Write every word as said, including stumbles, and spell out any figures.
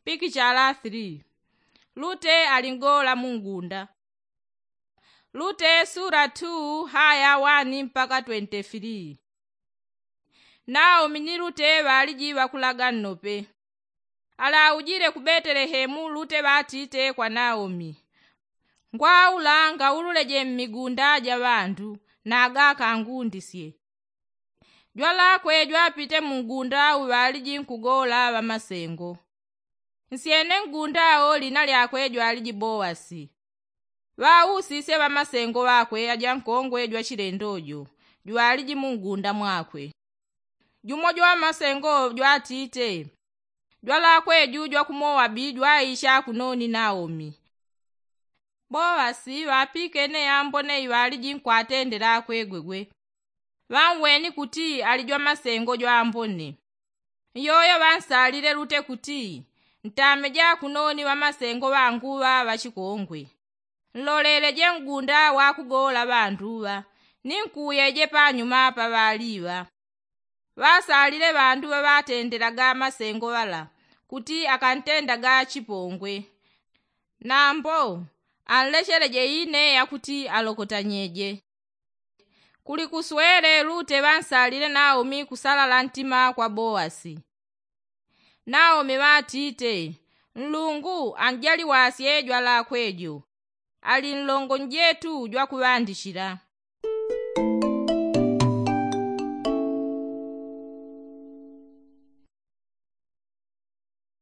Pikichala three. Lute ali ngola mungunda. Lute sura two haya one mpaka twenty-three. Naomi ni lute ŵaliji ŵakulaga nnope. Alaujile ku betelehemu lute ŵatite kwa naomi, ngwaula ngaululeje mmigunda ja ŵandu, naga akangundisye. Jwalakwe jwapite mungunda uŵaliji nkugola ŵamasengo. Nsyene ngunda wo lina lyakwe jwaliji boasi. Ŵausisye ŵamasengo ŵakwe aja nkongwe jwa chilendo jo jwaliji mungunda mwakwe. Jumo jwa ŵamasengo jwatite, jwalakwe ju jwa ku moabi jwaisha kunoni naomi. Boasi ŵapikene ambone iŵaliji nkwatendela akwegwegwe. Ŵanweni kuti ali jwa masengo jwa ambone. Nyoyo ŵansalile lute kuti, ntameje akunoni ŵamasengo ŵangu ŵa ŵachikongwe. Nloleleje ngunda wakugola ŵandu ŵa, ni nkuyeje panyuma pa ŵali ŵa. Ŵasalile ŵandu ŵaŵatendelaga masengo ŵala kuti akantendaga chipongwe. Nambo anlecheleje ine yakuti alokotanyeje. Kuli kuswele lute ŵansalile naomi kusalala ntima kwa boasi. Naomi ŵatite, nlungu anjaliwasye jwalakwe jo. Ali nlongo njetu jwakuŵandichila.